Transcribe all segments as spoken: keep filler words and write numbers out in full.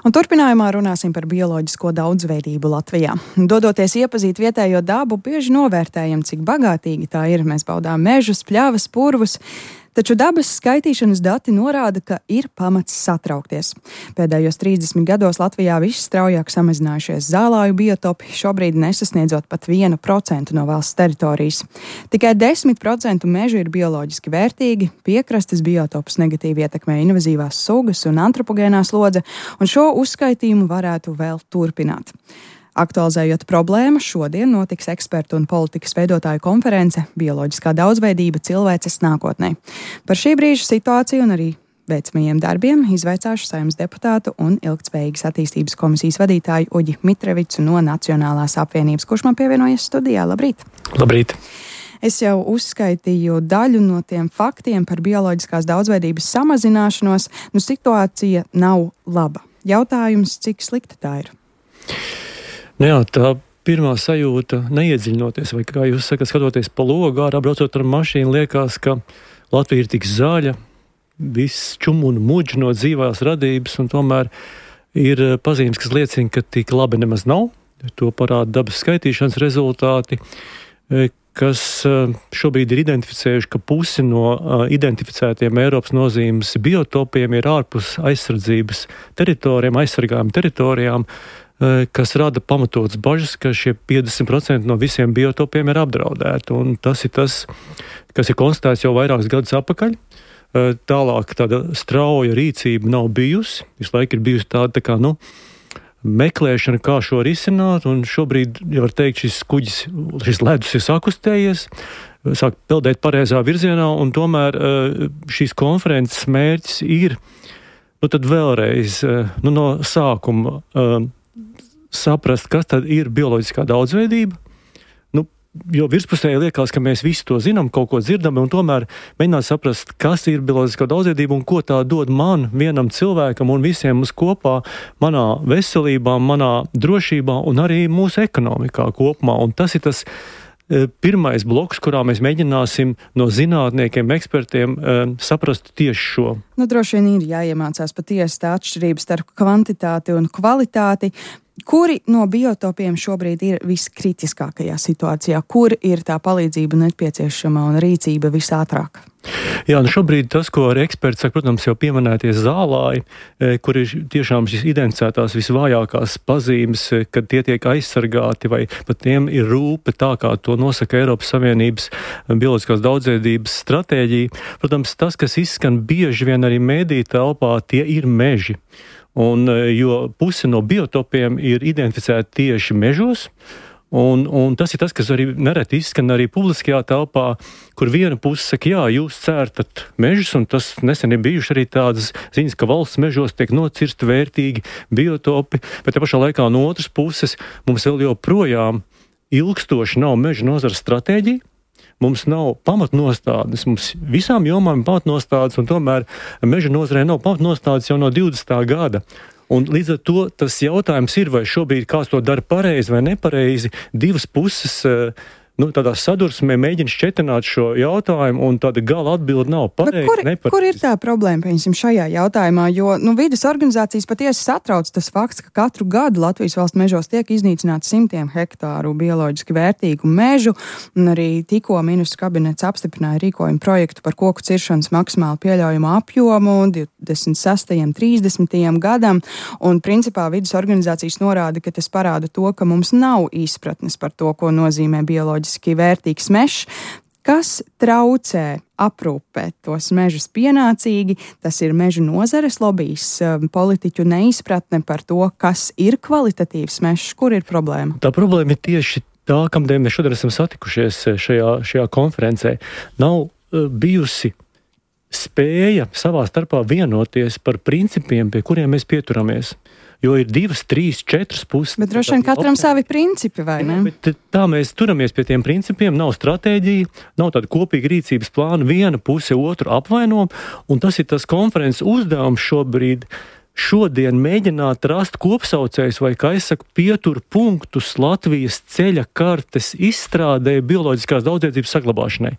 Un turpinājumā runāsim par bioloģisko daudzveidību Latvijā. Dodoties iepazīt vietējo dabu, bieži novērtējam, cik bagātīgi tā ir. Mēs baudām mežus, pļavas, purvus. Taču dabas skaitīšanas dati norāda, ka ir pamats satraukties. Pēdējos trīsdesmit gados Latvijā visstraujāk samazinājušies zālāju biotopi, šobrīd nesasniedzot pat vienu procentu no valsts teritorijas. Tikai desmit procenti mežu ir bioloģiski vērtīgi, piekrastes biotopus negatīvi ietekmē invazīvās sugas un antropogēnā slodze, un šo uzskaitījumu varētu vēl turpināt. Aktualizējot problēmu, šodien notiks ekspertu un politikas veidotāju konference Bioloģiskā daudzveidība cilvēces nākotnē. Par šī brīža situāciju un arī veicamajiem darbiem izvaicāšu Saeimas deputātu un Ilgtspējīgas attīstības komisijas vadītāju Uģi Mitrevicu no Nacionālās apvienības, kurš man pievienojas studijā. Labrīt! Labrīt! Es jau uzskaitīju daļu no tiem faktiem par bioloģiskās daudzveidības samazināšanos. Nu, situācija nav laba. Jautājums, cik slikta tā ir? Nu jā, tā pirmā sajūta, neiedziļinoties, vai kā jūs sakat, skatoties pa logu ārā, braucot ar mašīnu, liekas, ka Latvija ir tik zaļa, viss čum un muģ no dzīvās radības, un tomēr ir pazīmes, kas liecina, ka tik labi nemaz nav. To parāda dabas skaitīšanas rezultāti, kas šobrīd ir identificējuši, ka pusi no identificētiem Eiropas nozīmes biotopiem ir ārpus aizsardzības teritorijām, aizsargājām teritorijām, kas rada pamatotas bažas, ka šie piecdesmit procenti no visiem biotopiem ir apdraudēti. Un tas ir tas, kas ir konstatēts jau vairākus gadus atpakaļ. Tālāk tāda strauja rīcība nav bijusi. Visu laiku ir bijusi tāda tā kā, nu, meklēšana, kā šo risināt, un šobrīd, ja var teikt, šis kuģis, šis ledus ir sakustējies, sāk peldēt pareizā virzienā, un tomēr šīs konferences mērķis ir, nu, tad vēlreiz, nu, no sākuma saprast, kas tad ir bioloģiskā daudzveidība. Nu, jo virspusēji liekas, ka mēs visi to zinām, kaut ko dzirdam, un tomēr mēģināt saprast, kas ir bioloģiskā daudzveidība un ko tā dod man, vienam cilvēkam un visiem mums kopā, manā veselībā, manā drošībā un arī mūsu ekonomikā kopumā. Un tas ir tas pirmais bloks, kurā mēs mēģināsim no zinātniekiem, ekspertiem saprast tieši šo. Nu, droši vien ir jāiemācās patiesi tā atšķirība starp kvantitāti un kvalitāti. Kuri no biotopiem šobrīd ir viskritiskākajā situācijā? Kur ir tā palīdzība nepieciešama un rīcība visātrāk? Jā, nu šobrīd tas, ko arī eksperti saka, protams, jau pieminētie zālāji, kur ir tiešām šis identificētās visvājākās pazīmes, kad tie tiek aizsargāti vai pat tiem ir rūpe tā, kā to nosaka Eiropas Savienības bioloģiskās daudzveidības stratēģija. Protams, tas, kas izskan bieži vien arī mēdīju telpā, tie ir meži. Un, jo pusi no biotopiem ir identificēti tieši mežos, un, un tas ir tas, kas arī nereti izskan arī publiskajā telpā, kur viena puse saka, jā, jūs cērtat mežus, un tas nesen ir bijuši arī tādas ziņas, ka valsts mežos tiek nocirsti vērtīgi biotopi, bet te pašā laikā no otras puses mums vēl joprojām ilgstoši nav meža nozares stratēģija. Mums nav pamatnostādes, mums visām jomām ir pamatnostādes, un tomēr meža nozarē nav pamatnostādes jau no divdesmitā gada. Un līdz ar to tas jautājums ir, vai šobrīd kāds to dara pareizi vai nepareizi, divas puses, nu, tādā sadursmē mēģina šķetināt šo jautājumu, un tāda gala atbilde nav pareizi, kur, nepareizi. Kur ir tā problēma, pieņemsim, šajā jautājumā? Jo, nu, vides organizācijas patiesi satrauc tas fakts, ka katru gadu Latvijas valsts mežos tiek iznīcināts simtiem hektāru bioloģiski vērtīgu mežu, un arī tikko ministru kabinets apstiprināja rīkojumu projektu par koku ciršanas maksimāli pieļaujumu apjomu divdesmit sestajam trīsdesmitajam gadam, un principā vides organizācijas norāda, ka tas parāda to, ka mums nav izpratnes par to, ko nozīmē bioloģiski vērtīgs mežs, kas traucē aprūpēt tos mežus pienācīgi. Tas ir mežu nozares lobijs, politiķu neizpratne par to, kas ir kvalitatīvs mežs, kur ir problēma. Tā problēma ir tieši tā, kamdēļ mēs šodien esam satikušies šajā, šajā konferencē. Nav uh, bijusi spēja savā starpā vienoties par principiem, pie kuriem mēs pieturamies. Jo ir divas, trīs, četras puses. Bet droši vien katram savi principi, vai ne? Bet tā mēs turamies pie tiem principiem, nav stratēģija, nav tāda kopīga rīcības plāna, viena puse otru apvaino, un tas ir tas konferences uzdevums šobrīd, šodien mēģināt rast kopsaucējus vai, kā es saku, pietur punktus Latvijas ceļa kartes izstrādē bioloģiskās daudzveidzības saglabāšanai.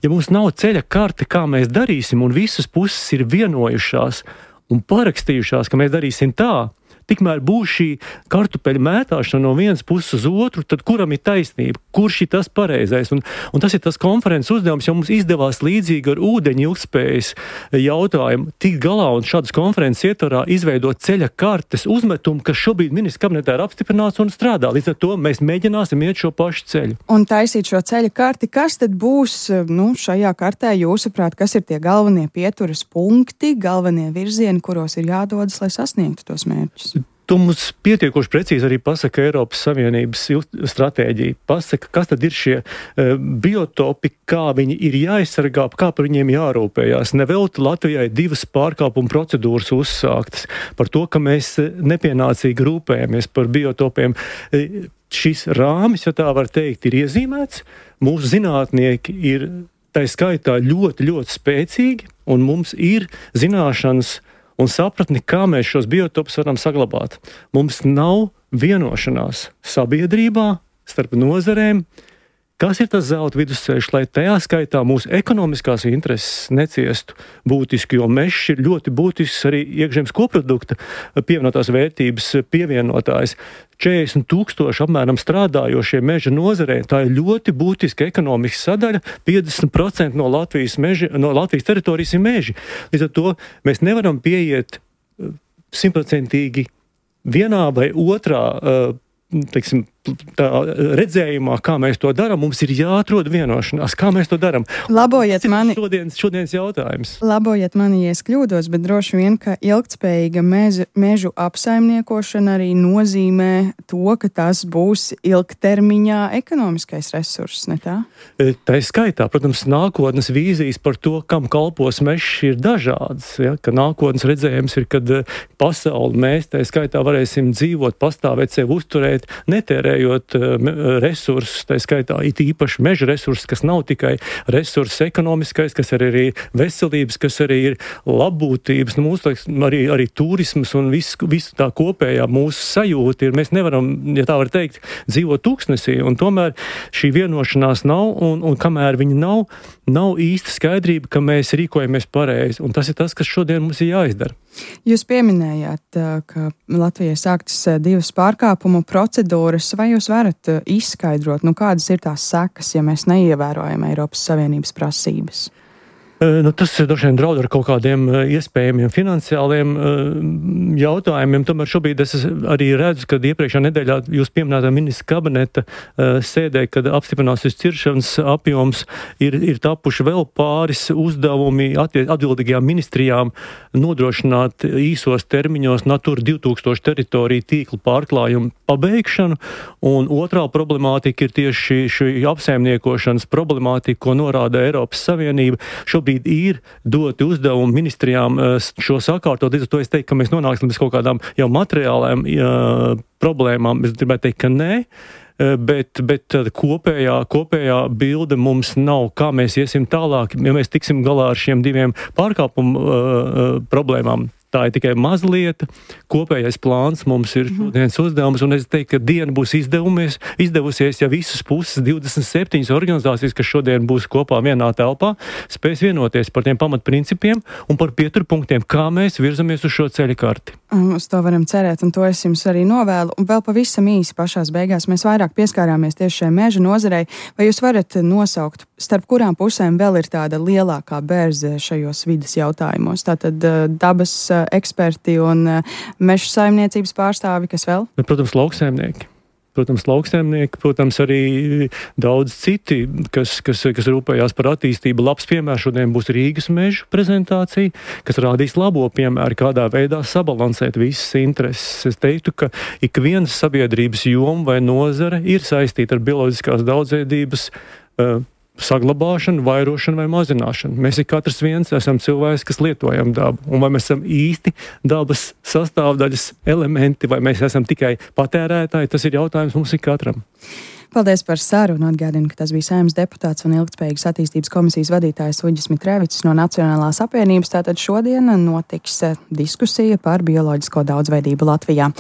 Ja mums nav ceļa karte, kā mēs darīsim, un visas puses ir vienojušās un parakstījušās, ka mēs darīsim tā, tikmēr būs šī kartupeļu mētāšana no vienas puses uz otru, tad kuram ir taisnība, kurš ir tas pareizais. Un, un tas ir tas konferences uzdevums, jo mums izdevās līdzīgi ar ūdeņu ilgspējas jautājumu tikt galā un šādas konferences ietvarā izveidot ceļa kartes uzmetumu, kas šobrīd ministra kabinetā ir apstiprināts un strādā. Līdz ar to mēs mēģināsim iet šo pašu ceļu. Un taisīt šo ceļa karti, kas tad būs, nu, šajā kartē jūsuprāt, kas ir tie galvenie pieturas punkti, galvenie virzieni, kuros ir jādodas, lai sasniegtu tos mērķus? Tu mums pietiekoši precīzi arī pasaka Eiropas Savienības stratēģija. Pasaka, kas tad ir šie uh, biotopi, kā viņi ir jāaizsargā, kā par viņiem jārūpējās. Nevelti Latvijai divas pārkāpuma procedūras uzsāktas par to, ka mēs nepienācīgi rūpējamies par biotopiem. Uh, šis rāmis, ja tā var teikt, ir iezīmēts. Mūsu zinātnieki ir tā skaitā ļoti, ļoti spēcīgi, un mums ir zināšanas un sapratni, kā mēs šos biotopus varam saglabāt. Mums nav vienošanās sabiedrībā starp nozarēm, kas ir tas zelta vidusceļš, lai tajā skaitā mūsu ekonomiskās intereses neciestu būtiski, jo mežs ir ļoti būtisks arī iekšzemes koprodukta pievienotās vērtības pievienotājs. četrdesmit tūkstoši apmēram strādājošie meža nozarē, tā ir ļoti būtiska ekonomikas sadaļa, piecdesmit procenti no Latvijas, meži, no Latvijas teritorijas ir meži. Līdz ar to mēs nevaram pieiet simtprocentīgi vienā vai otrā uh, teiksim, tā redzējumā, kā mēs to darām, mums ir jāatrod vienošanās, kā mēs to darām. Labojiet mani, šodienas, šodienas jautājums. Labojiet mani, ja es kļūdos, bet droši vien, ka ilgtspējīga mežu, mežu apsaimniekošana arī nozīmē to, ka tas būs ilgtermiņā ekonomiskais resurss, ne tā? Tā ir skaitā, protams, nākotnes vīzijas par to, kam kalpos mežs, ir dažādas. Ja? Ka nākotnes redzējums ir, kad pasauli mēs tā skaitā varēsim dzīvot, pastāvēt, sevi uzturēt, netērējot resursus, tā skaitā it īpaši meža resursus, kas nav tikai resurss ekonomiskais, kas ir arī veselības, kas arī ir labbūtības, nu, mūsu, arī, arī turismas un viss, visu tā kopējā mūsu sajūta ir, mēs nevaram, ja tā var teikt, dzīvot tūkstnesī, un tomēr šī vienošanās nav, un, un kamēr viņa nav, nav īsta skaidrība, ka mēs rīkojamies pareizi, un tas ir tas, kas šodien mums ir jāizdara. Jūs pieminējāt, ka Latvijai sāktas divas pārkāpumu procedūras. Vai jūs varat izskaidrot, nu, kādas ir tās sekas, ja mēs neievērojam Eiropas Savienības prasības? Nu, tas droši vien draud ar kaut kādiem iespējamiem finansiāliem jautājumiem. Tomēr šobrīd es arī redzu, kad iepriekšā nedēļā jūs pieminētā ministra kabineta sēdē, kad apstiprināsies ciršanas apjoms, ir, ir tapuši vēl pāris uzdevumi atbildīgajām ministrijām nodrošināt īsos termiņos Natura divi tūkstoši teritoriju tīklu pārklājumu pabeigšanu. Un otrā problemātika ir tieši šī apsaimniekošanas problemātika, ko norāda Eiropas Savienība. Šobrīd ir doti uzdevumi ministrijām šo sakārtot, līdz ar to es teiktu, ka mēs nonāksim bez kaut kādām jau materiālām jā, problēmām. Es gribētu teikt, ka nē, bet, bet kopējā, kopējā bilde mums nav, kā mēs iesim tālāk, ja mēs tiksim galā ar šiem diviem pārkāpumu uh, problēmām. Tā ir tikai mazlieta, kopējais plāns mums ir šodienas uzdevums, un es teiktu, ka diena būs izdevumies, izdevusies, ja visas puses, divdesmit septiņas organizācijas, kas šodien būs kopā vienā telpā, spēs vienoties par tiem pamatprincipiem un par pieturpunktiem, kā mēs virzamies uz šo ceļa karti. Uz to varam cerēt, un to es jums arī novēlu. Un vēl pavisam īsi pašās beigās mēs vairāk pieskārāmies tieši šai meža nozarei. Vai jūs varat nosaukt, starp kurām pusēm vēl ir tāda lielākā bērze šajos vides jautājumos? Tātad dabas eksperti un meža saimniecības pārstāvi, kas vēl? Protams, lauksaimnieki. Protams, lauksaimnieki, protams, arī daudz citi, kas, kas, kas rūpējās par attīstību. Labs piemērs šodien būs Rīgas meža prezentācija, kas rādīs labo piemēru, kādā veidā sabalansēt visas intereses. Es teiktu, ka ik viens sabiedrības joma vai nozare ir saistīta ar bioloģiskās daudzveidības uh, saglabāšanu, vairošanu vai mazināšanu. Mēs ir katrs viens esam cilvēks, kas lietojam dabu. Un vai mēs esam īsti dabas sastāvdaļas elementi, vai mēs esam tikai patērētāji, tas ir jautājums mums ik katram. Paldies par sarunu. Atgādinu, ka tas bija Saeimas deputāts un ilgtspējīgas attīstības komisijas vadītājs Uģis Mitrevics no Nacionālās apvienības. Tātad šodien notiks diskusija par bioloģisko daudzveidību Latvijā.